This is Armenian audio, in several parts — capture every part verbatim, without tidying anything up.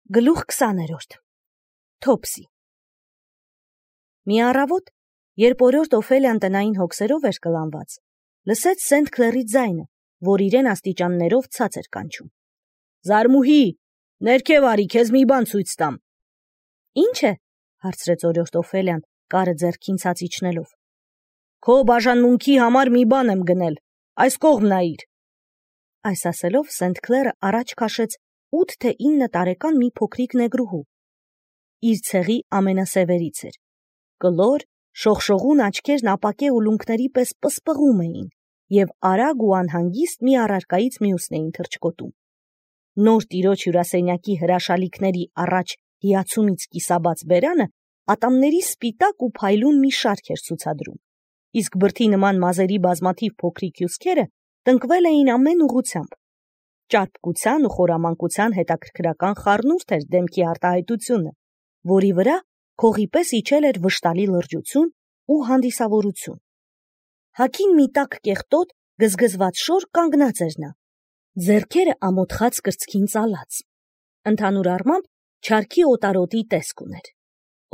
Գլուխ քսաներորդ Թոփսի Մի առավոտ, երբ օրորդ Օֆելիան տնային հոգսերով էր կլանված, լսեց Սենթ Քլերի ձայնը, որ իրեն աստիճաններով ցած էր կանչում. «Զարմուհի, ներքև արի, քեզ մի բան ցույց տամ»։ «Ինչ է»։ հարցրեց օրորդ Օֆելիան, կարը ձեռքին ցած իջնելով։ «Քո բաժանմունքի համար մի բան եմ գնել, այս կողմ նայիր»։ Այս ասելով Սենթ Քլերը առաջ քաշեց ութ թե ինը տարեկան մի փոքրիկ նեգրուհու։ Իր ցեղի ամենասևերից էր։ Կլոր, շողշողուն աչքերն ապակե ուլունքների պես պսպղում էին և արագ ու անհանգիստ մի առարկայից մյուսն էին թռչկոտում։ Նոր տիրոջ հյուրասենյակի հրաշալիքների առաջ հիացումից կիսաբաց բերանը ատամների սպիտակ ու փայլուն մի շարք էր ցուցադրում, իսկ բրդի նման մազերի բազմաթիվ փոքրիկ հյուսքերը տնկվել էին ամեն ուղղությամբ։ Ճարպկության ու խորամանկության հետաքրքրական խառնուրդ էր դեմքի արտահայտությունը, որի վրա քողի պես իջել էր վշտալի լրջություն ու հանդիսավորություն։ Հագին մի տաք կեղտոտ, գզգզված շոր կանգնած էր նա, ձեռքերը ամոթխած կրծքին ծալած։ Ընդհանուր առմամբ չարքի օտարոտի տեսք ուներ։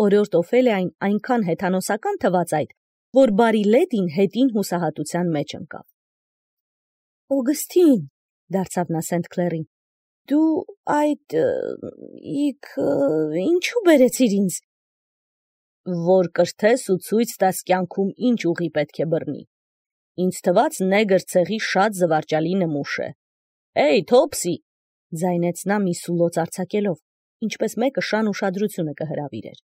Օրորդ Օֆելիային այնքան հեթանոսական թվաց այդ, որ բարի լեդին հետին հուսահատության մեջ ընկավ։ «Օգստին», դարձավ նա Սենթ Քլերին, «դու այդ իք ինչու բերեցիր ինձ»։ «Որ կրթես ու ցույց տաս կյանքում ինչ ուղի պետք է բռնի։ Ինձ թված նեգր ցեղի շատ զվարճալի նմուշ է։ Էյ, Թոփսի», ձայնեց նա մի սուլոց արձակելով, ինչպես մեկը շան ուշադրությունը կհրավիրեր,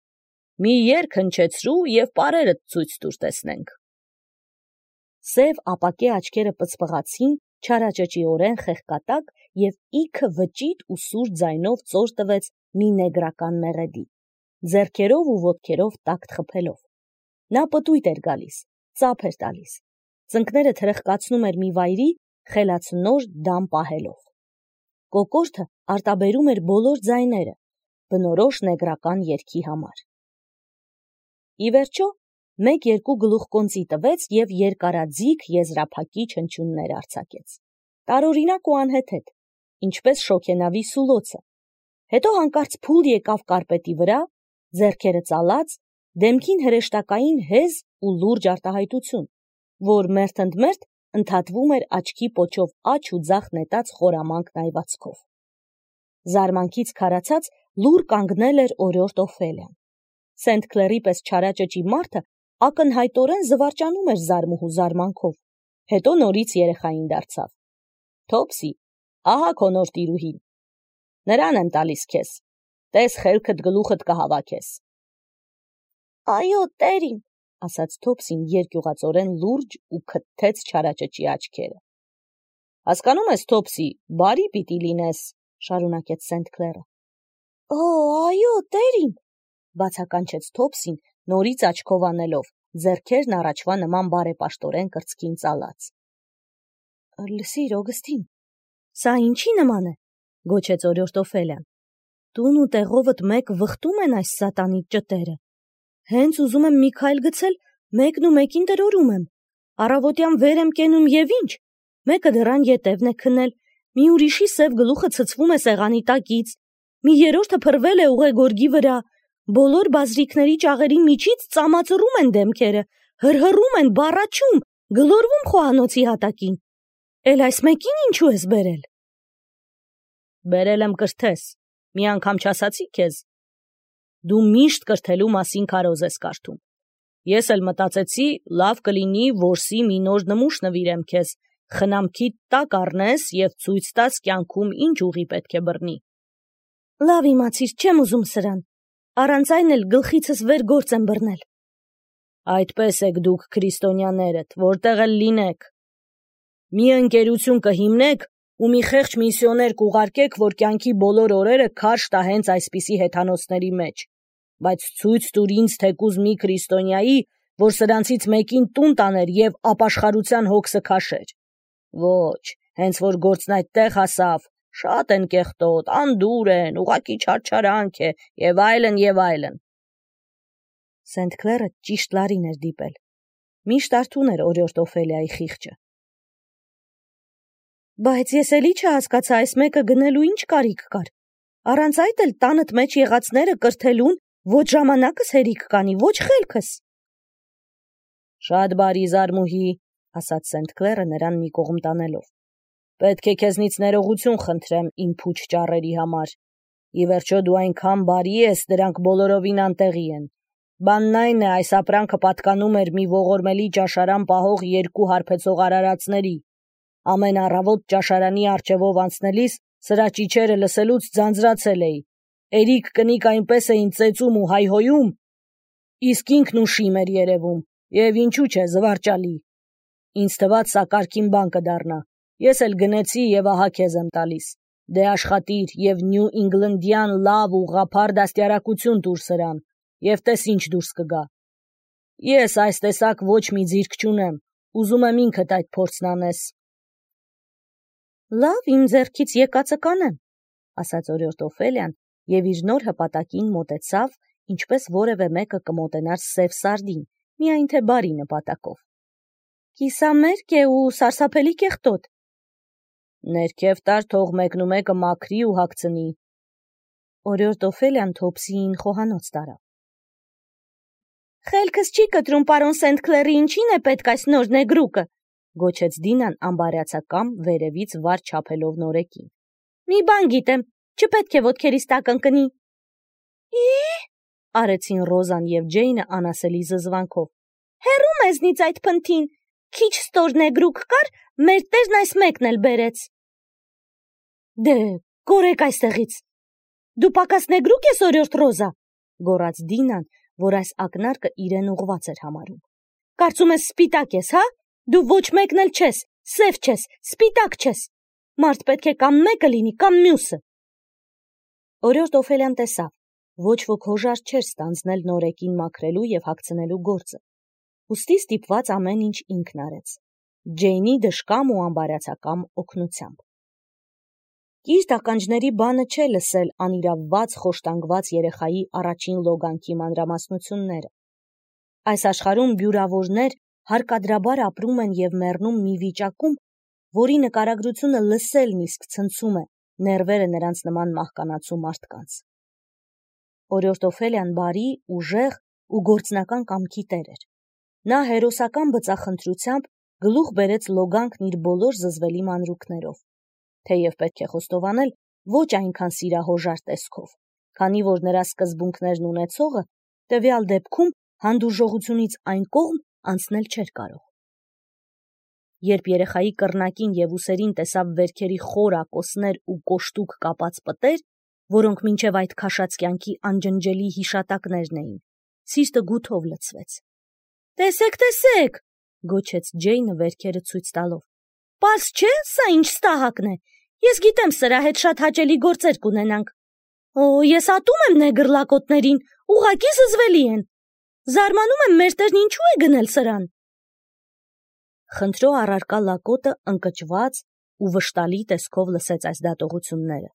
«մի երգ հնչեցրու և պարերդ ցույց տուր տեսնենք»։ Սև ապակե աչքերը պծպղացին, չարաճճիորեն խեղկատակ և իքը վճիտ ու սուր ձայնով ծոր տվեց մի նեգրական մեղեդի, ձեռքերով ու ոտքերով տակտ խփելով։ Նա պտույտ էր գալիս, ծափ էր տալիս, ծնկները թրխկացնում էր մի վայրի, խելացնոր դամ պահելով։ Կոկորդը արտաբերում էր բոլոր ձայները, բնորոշ նեգրական երգի համար։ Ի վերջո, մեկ-երկու գլուխկոնծի տվեց և երկարաձիգ եզրափակիչ հնչյուններ արձակեց, տարօրինակ ու անհեթեթ, ինչպես շոգենավի սուլոցը։ Հետո հանկարծ փուլ եկավ կարպետի վրա, ձեռքերը ծալած, դեմքին հրեշտակային հեզ ու լուրջ արտահայտություն, որ մերթընդմերթ ընդհատվում էր աչքի պոչով աջ ու ձախ նետած խորամանկ նայվածքով։ Զարմանքից քարացած լուռ կանգնել էր օրորդ Օֆելիան։ Սենթ Քլերի պես չարաճճի մարդը ակնհայտորեն զվարճանում էր զարմուհու զարմանքով, հետո նորից երեխային դարձավ։ «Թոփսի, ահա քո նոր տիրուհին։ Նրան եմ տալիս քեզ, տես խելքդ գլուխդ կհավաքես»։ «Այո, տեր իմ», ասաց Թոփսին երկյուղածորեն լուրջ ու քթթեց չարաճճի աչքերը։ «Հասկանում ես, Թոփսի, բարի պիտի լինես», շարունակեց Սենթ Քլերը։ «Օ, այո, տեր իմ», բացականչեց Թոփսին, նորից աչքով անելով, ձեռքերն առաջվա նման բարեպաշտորեն կրծքին ծալած։ «Լսիր, Օգստին, սա ինչի նման է», գոչեց օրորդ Օֆելիան։ «Տուն ու տեղովդ մեկ վխտում են այս սատանիկ ճտերը։ Հենց ուզում եմ մի քայլ գցել, մեկն ու մեկին տրորում եմ, առավոտյան վեր եմ կենում և ինչ, մեկը դռան ետևն է քնել, մի ուրիշի սև գլուխը ցցվում է սեղանի տակից, մի երրորդը փռվել է ուղեգորգի վրա, բոլոր բազրիքների ճաղերի միջից ծամածռում են դեմքերը, հրհռում են, բառաչում, գլորվում խոհանոցի հատակին։ Էլ այս մեկին ինչու ես բերել»։ «Բերել եմ կրթես, մի անգամ չասացի քեզ։ Դու միշտ կրթելու մասին քարոզ ես կարդում։ Ես էլ մտածեցի, լավ կլինի որսի մի նոր նմուշ նվիրեմ քեզ, խնամքիդ տակ առնես և ցույց տաս կյանքում ինչ ուղի պետք է բռնի»։ «Լավ իմացիր, չեմ ուզում սրան, առանց այն էլ գլխիցս վեր գործ եմ բռնել»։ «Այդպես եք դուք քրիստոնյաներդ, որտեղ էլ լինեք։ Մի ընկերություն կհիմնեք ու մի խեղճ միսիոներ կուղարկեք, որ կյանքի բոլոր օրերը քարշ տա հենց այսպիսի հեթանոսների մեջ, բայց ցույց տուր ինձ թեկուզ մի քրիստոնյայի, որ սրանցից մեկին տուն տաներ և ապաշխարության հոգսը քաշեր։ Ոչ, հենց որ գործն այդտեղ հասավ, շատ են կեղտոտ, անդուր են, ուղղակի չարչարանք է և այլն և այլն»։ Սենթ Քլերը ճիշտ լարին էր դիպել։ Միշտ արթուն էր օրորդ Օֆելիայի խիղճը։ «Բայց ես էլի չհասկացա այս մեկը գնելու ինչ կարիք կար, Առանց այդ էլ տանդ մեջ եղածները կրթելուն ոչ ժամանակս հերիք կանի, ոչ խելքս։ Շատ բարի զարմուհի, ասաց Սենթ Քլերը նրան մի կողմ տանելով։ Պետք է քեզնից ներողություն խնդրեմ իմ փուչ ճառերի համար։ Ի վերջո դու այնքան բարի ես, դրանք բոլորովին անտեղի են։ Բանն այն է, այս ապրանքը պատկանում էր մի ողորմելի ճաշարան պահող երկու հարբեցող արարածների։ Ամեն առավոտ ճաշարանի առջևով անցնելիս սրա ճիչերը լսելուց ձանձրացել էի։ Էրիկ կնիկ այնպես էին ծեծում ու հայհոյում, իսկ ինքն ուշիմ էր երևում, եւ ինչու՞ չէ զվարճալի։ Ինձ թվաց սա կարգին բան կդառնա։ Ես էլ գնեցի եւ ահա քեզ եմ տալիս։ Դե աշխատիր եւ Նյու Ինգլնդյան լավ ու ղափար դաստիարակություն տուր սրան, եւ տես ինչ դուրս կգա։ Ես այս տեսակ ոչ մի ձիրք չունեմ, ուզում եմ ինքդ այդ փորձն անես։ Լավ, իմ ձեռքից եկածը կանեմ, ասաց օրիորդ Օֆելիան եւ իր նոր հպատակին մոտեցավ, ինչպես որևէ մեկը կմոտենար սև սարդին, միայն թե բարի նպատակով։ Կիսամերկ է ու սարսափելի կեղտոտ։ Ներքև տար թող մեկնումեկը մաքրի ու հագցնի։ Օրիորդ Օֆելիան Թոփսիին խոհանոց տարավ։ Խելքս չի կտրում, պարոն Սենթ Քլերի, ինչին է պետք այս նոր նեգրուկը, գոչեց Դինան ամբարյացակամ վերևից վար չափելով նորեկին։ Մի բան գիտեմ, չպետք է ոտքերիս տակ ընկնի։ Ի՞, արեցին Ռոզան եւ Ջեյնը անասելի զզվանքով։ Հեռու մեզնից այդ փնթին, քիչ ստոր նեգրուկ կար, մեր տերն այս մեկն էլ բերեց։ Դե, կորեք այստեղից։ Դու պակաս նեգրուկ ես, օրիորդ Ռոզա, գոռաց Դինան, որ այս ակնարկը իրեն ուղված էր համարում։ Կարծում ես սպիտակ ես, հա? Դու ոչ մեկն էլ չես, սև չես, սպիտակ չես։ Մարդ պետք է կամ մեկը լինի, կամ մյուսը։ Օրիորդ Օֆելիան տեսավ, ոչ ոք հոժար չէր ստանձնել նորեկին մաքրելու եւ հագցնելու գործը։ Ուստի ստիպված ամեն ինչ ինքն արեց։ Ջեյնի դժկամ ու ամբարյացակամ օգնությամբ։ Կիրթ ականջների բանը չէ լսել անիրավված, խոշտանգված երեխայի առաջին լոգանքի մանրամասնությունները։ Այս աշխարհում բյուրավորներ հարկադրաբար ապրում են եւ մեռնում մի վիճակում, որի նկարագրությունը լսելն իսկ ցնցում է ներվերը նրանց նման մահկանացու մարդկանց։ Օրիորդ Օֆելիան բարի, ուժեղ ու գործնական կամքի տեր էր։ Նա հերոսական բծախնդրությամբ գլուխ բերեց լոգանքն իր բոլոր զզվելի մանրուքներով, թեև պետք է խոստովանել ոչ այնքան սիրահոժար տեսքով, քանի որ նրա սկզբունքներն ունեցողը տվյալ դեպքում հանդուրժողությունից այն կողմ անցնել չէր կարող։ Երբ երեխայի կռնակին եւ ուսերին տեսավ վերքերի խոր ակոսներ ու կոշտուկ կապած պտեր, որոնք մինչև այդ քաշած կյանքի անջնջելի հիշատակներն էին, սիրտը գութով լցվեց։ Տեսեք, տեսեք, գոչեց Ջեյնը վերքերը ցույց տալով։ Պարզ չէ, սա ինչ ստահակն է։ Ես գիտեմ սրա հետ շատ հաճելի գործեր կունենանք։ Օ, ես ատում եմ նեգրլակոտներին, ուղղակի զզվելի են։ Զարմանում եմ, մեր տերն ինչու է գնել սրան։ Խնդրո առարկա լակոտը ընկճված ու վշտալի տեսքով լսեց այս դատողությունները։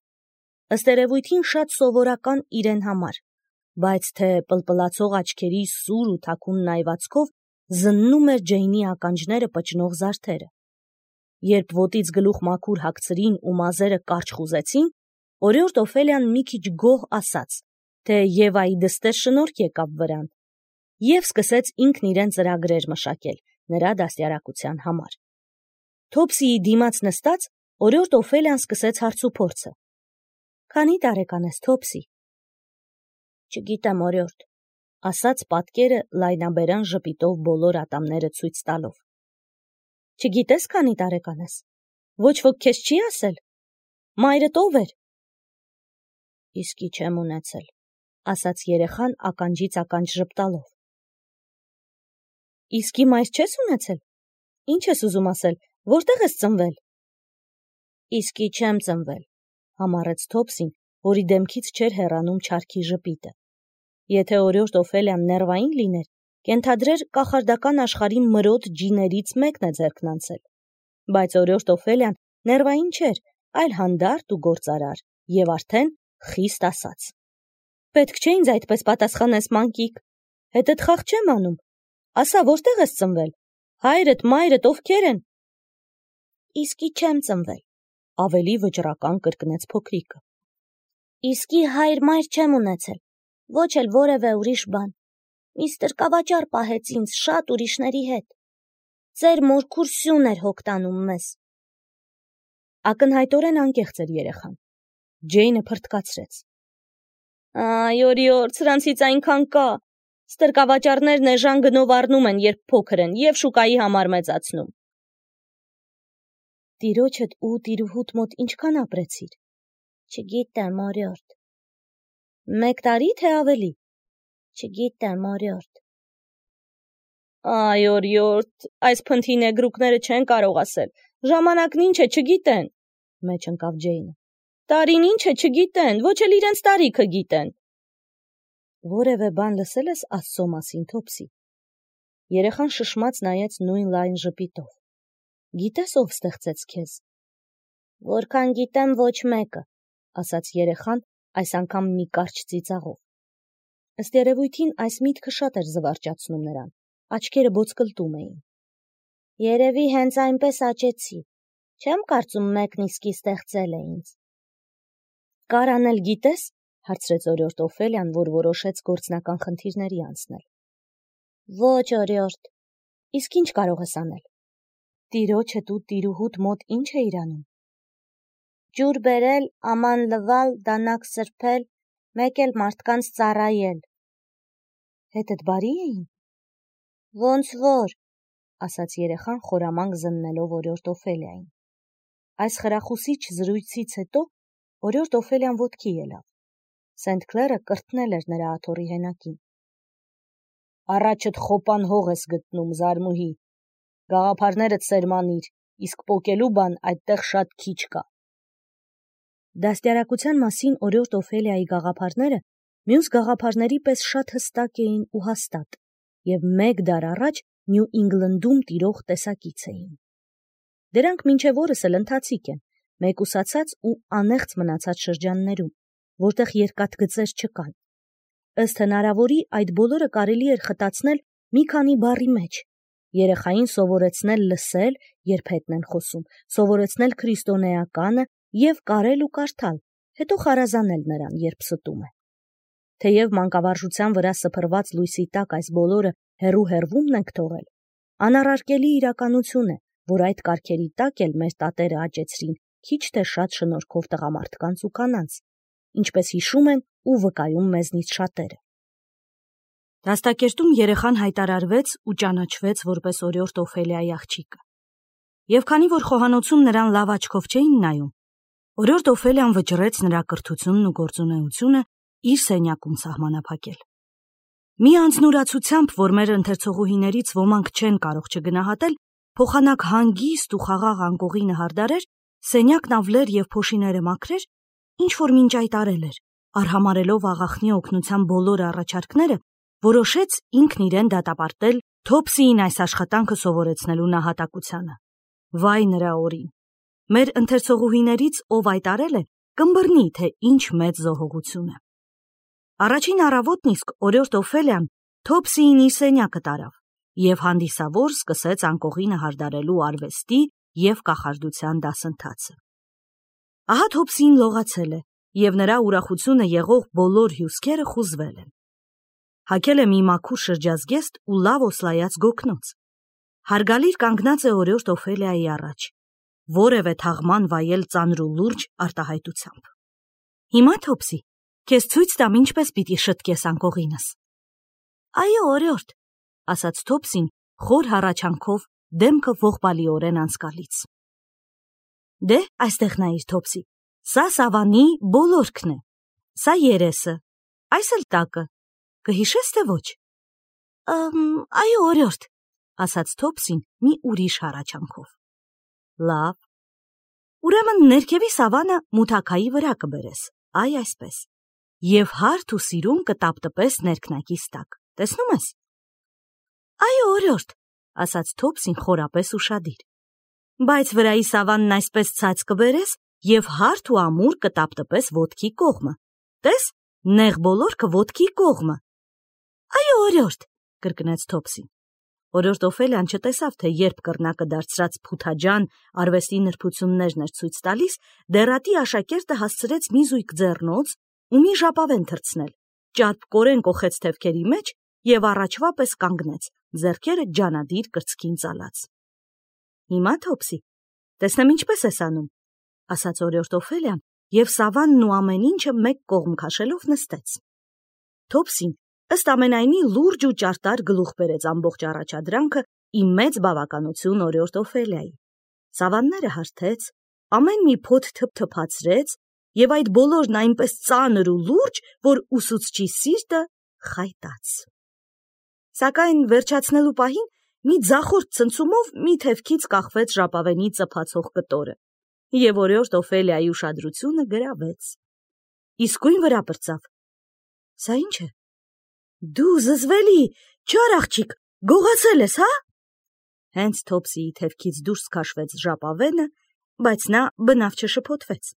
Ըստ երևույթին շատ սովորական իրեն համար, բայց թե պլպլացող աչքերի սուր ու թաքուն նայվածքով զննում էր Ջեյնի ականջները պճնող զարդերը։ Երբ ոտից գլուխ մաքուր հագցրին ու մազերը կարճ խուզեցին, օրիորդ Օֆելիան մի քիչ գոհ ասաց, թե Եվայի դստեր շնորհք եկավ վրան, եւ սկսեց ինքն իրեն ծրագրեր մշակել նրա դաստիարակության համար։ Թոփսիի դիմաց նստած օրիորդ Օֆելիան սկսեց հարցուփորձը։ Քանի տարեկան ես, Թոփսի։ Չգիտեմ, օրիորդ, ասաց պատկերը լայնաբերան ժպիտով բոլոր ատամները ցույց տալով։ Չգիտես քանի տարեկան ես։ Ոչ ոք քեզ չի ասել։ Մայրդ ով էր։ Իսկի չեմ ունեցել, ասաց երեխան ականջից ականջ ժպտալով։ Իսկի մայր չես ունեցել։ Ինչ ես ուզում ասել, որտեղ ես ծնվել։ Իսկի չեմ ծնվել, համառեց Թոփսին, որի դեմքից չէր հեռանում չարքի ժպիտը։ Եթե օրիորդ Օֆելիան ներվային լիներ, կենթադրեր կախարդական աշխարհի մրոտ ջիներից մեկն է ձեռքն անցել։ Բայց օրիորդ Օֆելիան ներվային չէր, այլ հանդարտ ու գործարար, եւ արդեն խիստ ասած։ Պետք չէ ինձ այդպես պատասխանես, մանկիկ։ Հետդ խաղ չեմ անում։ Ասա, որտեղ ես ծնվել։ Հայրդ, մայրդ ովքեր են։ Իսկի չեմ ծնվել, ավելի վճռական կրկնեց փոքրիկը։ Իսկի հայր մայր չեմ ունեցել, ոչ էլ որևէ ուրիշ բան։ Միստր կավաճար պահեց ինձ շատ ուրիշների հետ։ Ձեր մորքուր սյուն էր հոգտանում մեզ։ Ակնհայտորեն անկեղծ էր երեխան։ Ջեյնը փրթկացրեց։ Այ օրիոր, սրանցից այնքան կա։ Ստրկավաճառներն էժան գնով առնում են, երբ փոքր են, և շուկայի համար մեծացնում։ Տիրոջդ ու տիրուհուդ մոտ ինչքան ապրեցիր։ Չգիտեմ, օրիորդ։ Մեկ տարի, թե ավելի։ Չգիտեմ, օրիորդ։ Այ օրիորդ, այս փնթի նեգրուկները չեն կարող ասել։ Ժամանակն ինչ է, չգիտեն, մեջ ընկավ Ջեյնը։ Տարին ինչ է, չգիտեն, ոչ էլ իրենց տարիքը գիտեն։ Որևէ բան լսել ես Աստծո մասին, Թոփսի։ Երեխան շշմած նայեց նույն լայն ժպիտով։ Գիտես ով ստեղծեց քեզ։ Որքան գիտեմ, ոչ մեկը, ասաց երեխան, այս անգամ մի կարճ ծիծաղով։ Ըստ երևույթին այս միտքը շատ էր զվարճացնում նրան, աչքերը բոցկլտում էին։ Երևի հենց այնպես աճեցի, չեմ կարծում մեկն իսկի ստեղծել է ինձ։ Կար անել գիտես, հարցրեց օրիորդ Օֆելիան, որ որոշեց գործնական խնդիրների անցնել։ Ոչ, օրիորդ, իսկ ինչ կարող ես անել։ Տիրոջդ ու տիրուհուդ մոտ ինչ է իրանում։ Ջուր բերել, աման լվալ, դանակ սրբել, մեկ էլ մարդկանց ծառայել։ Հետդ բարի էին։ Ոնց որ, ասաց երեխան խորամանկ զննելով օրիորդ Օֆելիային։ Այս խրախուսիչ զրույցից հետո օրիորդ Օֆելիան ոտքի ելավ։ Սենթ Քլերը կրտնել էր նրա աթոռի հենակին։ Առաջդ խոպան հող ես գտնում, զարմուհի, գաղափարներդ սերմանիր, իսկ պոկելու բան այդտեղ շատ քիչ կա։ Դաստիարակության մասին օրիորդ Օֆելիայի գաղափարները մյուս գաղափարների պես շատ հստակ էին ու հաստատ, և մեկ դար առաջ Նյու Ինգլնդում տիրող տեսակից էին։ Դրանք մինչև օրս էլ ընթացիկ են, մեկուսացած ու անեղծ մնացած շրջաններում, որտեղ երկաթգծեր չկան։ Ըստ հնարավորի այդ բոլորը կարելի էր խտացնել մի քանի բառի մեջ, երեխային սովորեցնել լսել, երբ հետն են խոսում, սովորեցնել քրիստոնեականը և կարել ու կարդալ, հետո խարազանել նրան, երբ ստում է։ Թեև մանկավարժության վրա սփռված լույսի տակ այս բոլորը հեռու-հեռվումն ենք թողել, անառարկելի իրականություն է, որ այդ կարգերի տակ էլ մեր տատերը աճեցրին քիչ թե շատ շնորհքով տղամարդկանց ու կանանց, ինչպես հիշում են ու վկայում մեզնից շատերը։ Դաստակերտում երեխան հայտարարվեց ու ճանաչվեց որպես օրիորդ Օֆելիայի աղջիկը։ Եվ քանի որ խոհանոցում նրան լավ աչքով չէին նայում, օրիորդ Օֆելիան վճռեց նրա կրթությունն ու գործունեությունը իր սենյակում սահմանափակել։ Մի անձնուրացությամբ, որ մեր ընթերցողուհիներից ոմանք չեն կարող չգնահատել, փոխանակ հանգիստ ու խաղաղ անկողինը հարդարեր, սենյակն ավլեր և փոշիները մաքրեր, ինչ որ մինչ այդ արել էր, արհամարելով աղախնի օգնության բոլոր առաջարկները, որոշեց ինքն իրեն դատապարտել Թոփսիին այս աշխատանքը սովորեցնելու նահատակությանը։ Վայ նրա օրին։ Մեր ընթերցողուհիներից ով այդ արել է, կըմբռնի, թե ինչ մեծ զոհողություն է։ Առաջին առավոտն իսկ օրիորդ Օֆելիան Թոփսիին իր սենյակը տարավ և հանդիսավոր սկսեց անկողինը հարդարելու արվեստի և կախարդության դասընթացը։ Ահա Թոփսին լողացել է, և նրա ուրախությունը եղող բոլոր հյուսքերը խուզվել են։ Հագել է մի մաքուր շրջազգեստ ու լավ օսլայած գոգնոց։ Հարգալիր կանգնած է օրիորդ Օֆելիայի առաջ, որևէ թաղման վայել ծանր ու լուրջ արտահայտությամբ։ Հիմա Թոփսի, քեզ ցույց տամ ինչպես պիտի շտկես անկողինս։ Այո, օրիորդ, ասաց Թոփսին խոր հառաչանքով դեմքը ողբալիորեն անցկալից։ Դե, այստեղ նայիր, Թոփսի, սա սավանի բոլորքն է, սա երեսը, այս էլ տակը, կհիշես թե ոչ։ Այո, օրիորդ, ասաց Թոփսին մի ուրիշ հառաչանքով։ Լավ, ուրեմն ներքևի սավանը մութաքայի վրա կբերես, այ այսպես, և հարթ ու սիրուն կտապտպես ներքնակիս տակ, տեսնում ես։ Այո, օրիորդ, ասաց Թոփսին խորապես ուշադիր։ Բայց վրայի սավանն այսպես ցած կբերես և հարթ ու ամուր կտապտպես ոտքի կողմը, տես, նեղ բոլորքը ոտքի կողմը։ Այո, օրիորդ, կրկնեց Թոփսին։ Օրիորդ Օֆելիան չտեսավ, թե երբ կռնակը դարձրած փութաջան արվեստի նրբություններն էր ցույց տալիս, դեռատի աշակերտը հասցրեց մի զույգ ձեռնոց ու մի ժապավեն թռցնել, ճարպկորեն կոխեց թևքերի մեջ և առաջվա պես կանգնեց, ձեռքերը ջանադիր կրծքին ծալած։ Հիմա Թոփսի, տեսնեմ ինչպես ես անում, ասաց օրիորդ Օֆելիան և սավանն ու ամեն ինչը մեկ կողմ քաշելով նստեց։ Թոփսին ըստ ամենայնի լուրջ ու ճարտար գլուխ բերեց ամբողջ առաջադրանքը ի մեծ բավականություն օրիորդ Օֆելիայի։ Սավանները հարթեց, ամեն մի փոթ թփթփացրեց և այդ բոլորն այնպես ծանր ու լուրջ, որ ուսուցչի սիրտը խայտաց։ Սակայն վերջացնելու պահին մի ձախորդ ցնցումով մի թևքից կախվեց ժապավենի ծփացող կտորը, և օրիորդ Օֆելիայի ուշադրությունը գրավեց։ Իսկույն վրա պրծավ. Սա ի՞նչ է։ Դու զզվելի, չար աղջիկ, գողացել ես, հա։ Հենց Թոփսիի թևքից դուրս քաշվեց ժապավենը, բայց նա բնավ չշփոթվեց։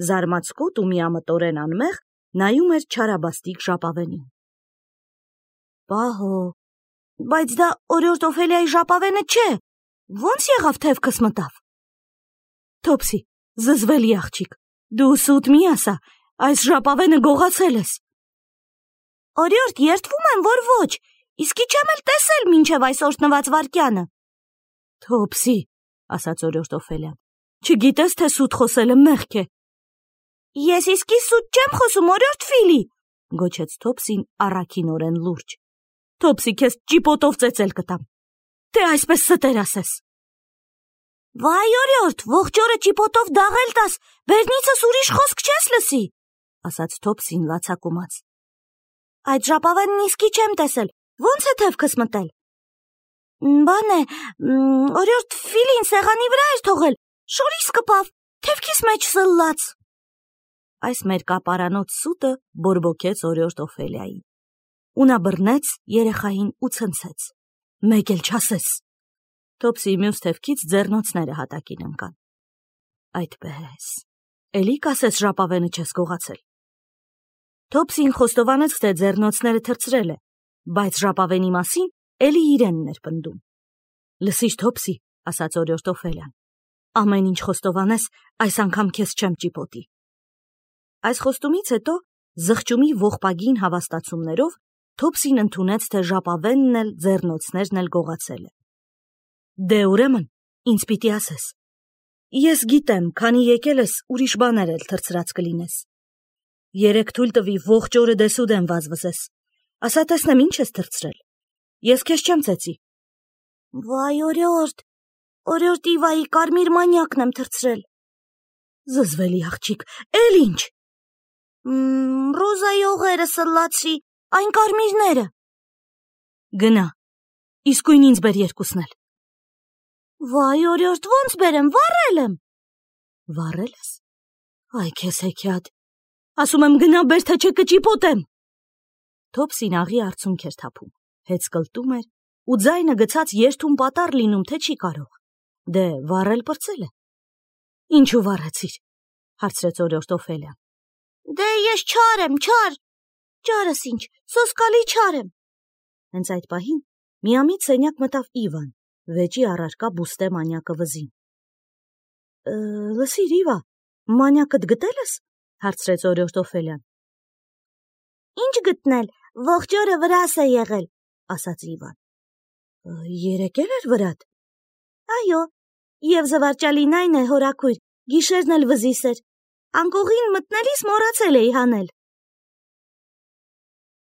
Զարմացկոտ ու միամտորեն անմեղ նայում էր չարաբաստիկ ժապավենին։ Պահո, բայց դա օրիորդ Օֆելիայի ժապավենը չէ, ո՞նց եղավ թևքս մտավ։ Թոփսի, զզվելի աղջիկ, դու սուտ մի ասա, այս ժապավենը գողացել ես։ Օրիորդ, երդվում եմ, որ ոչ, իսկի չեմ էլ տեսել մինչև այս օրհնված վայրկյանը։ Թոփսի, ասաց օրիորդ Օֆելիան, չգիտես, թե սուտ խոսելը մեղք է։ Ես իսկի սուտ չեմ խոսում, օրիորդ Ֆիլի, գոչեց Թոփսին առաքինորեն լուրջ։ Թոփսի, քեզ ճիպոտով ծեծել կտամ, թե այսպես ստեր ասես։ Վայ օրիորդ, ողջ օրը ճիպոտով դաղել տաս, բերնիցս ուրիշ խոսք չես լսի, ասաց Թոփսին լացակումած։ Այդ ժապավենն իսկի չեմ տեսել, ո՞նց է թևքս մտել։ Բան է, օրիորդ Ֆիլին սեղանի վրա էր թողել, շորիս կպավ, թևքիս մեջ սլլաց։ Այս մերկապարանոց սուտը բորբոքեց օրիորդ Օֆելիային։ Ու նա բռնեց երեխային ու ցնցեց. Մեկ էլ չասես։ Թոփսիի մյուս թևքից ձեռնոցները հատակին ընկան։ Այդպես, էլի կասես ժապավենը չես գողացել։ Թոփսին խոստովանեց, թե ձեռնոցները թռցրել է, բայց ժապավենի մասին էլի իրենն էր պնդում։ Լսիր, Թոփսի, ասաց օրիորդ Օֆելիան, ամեն ինչ խոստովանես, այս անգամ քեզ չեմ ճիպոտի։ Այս խոստումից հետո զղջումի ողբագին հավաստացումներով Թոփսին ընդունեց, թե ժապավենն էլ ձեռնոցներն էլ գողացել է։ Դե ուրեմն, ինձ պիտի ասես։ Ես գիտեմ, քանի եկել ես, ուրիշ բաներ էլ թռցրած կլինես։ Երեք թույլ տվի ողջ օրը դեսուդեն վազվզես։ Ասա տեսնեմ ինչ ես թռցրել։ Ես քեզ չեմ ծեծի։ Վայ օրիորդ, օրիորդ Իվայի կարմիր մանյակն եմ թռցրել։ Զզվելի աղջիկ, էլ ինչ։ Ռոզայի օղերը սլլացրի, այն կարմիրները։ Գնա, իսկույն ինձ բեր երկուսն էլ։ Վայ օրիորդ, ո՞նց բերեմ, վառել եմ։ Վառել ես։ Այ քեզ հեքիաթ։ Ասում եմ գնա բեր, թե չէ կճիպոտեմ։ Թոփսին աղի արցունք էր թափում, հեծկլտում էր ու ձայնը գցած երթում պատառ լինում, թե չի կարող։ Դե վառել պրծել է։ Ինչու վառեցիր, հարցրեց օրիորդ Օֆելիան։ Դե ես չար եմ, չար։ Ճարս ինչ, սոսկալի չար եմ։ Հենց այդ պահին միամիտ սենյակ մտավ Իվան, վեճի առարկա բուստե մանյակը վզին։ Լսիր, Իվա, մանյակդ գտել ես, հարցրեց օրիորդ Օֆելիան։ Ինչ գտնել, ողջ օրը վրաս է եղել, ասաց Իվան։ Երեկել էր վրատ։ Այո, և զվարճալին այն է, հորաքույր, գիշերն էլ վզիս էր։ Անկողին մտնելիս մոռացել էի հանել։